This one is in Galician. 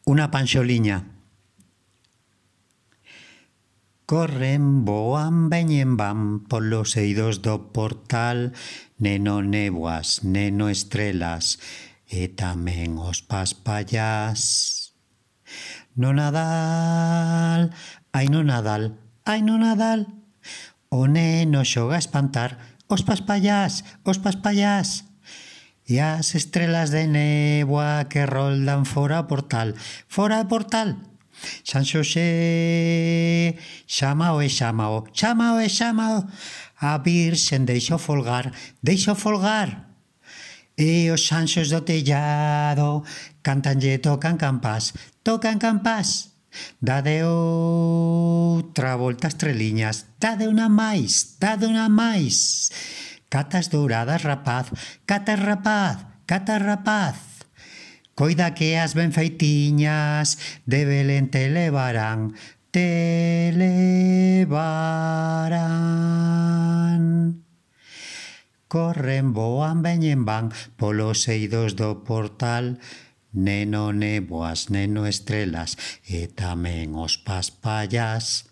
Una panxoliña. Corren, voan, veñen, van polos eidos do portal, neno néboas, neno estrelas, e tamén os paspallás. No Nadal, ai no Nadal, ai no Nadal, o neno xoga a espantar os paspallás, os paspallás. E as estrelas de néboa que roldan fora o portal, fora o portal. San Xosé, chámao e chámao, chámao e chámao. A Virxen deixo folgar, deixo folgar. E os anxos do tellado cantanlle, tocan campás, tocan campás. Dade outra volta estreliñas, dade unha máis, dade unha máis. Catas douradas, rapaz, catas rapaz, catas rapaz. Coida que as ben feitiñas de Belén te levarán, te levarán. Corren, voan, veñen, van polos eidos do portal, neno néboas, neno estrelas, e tamén os paspallás.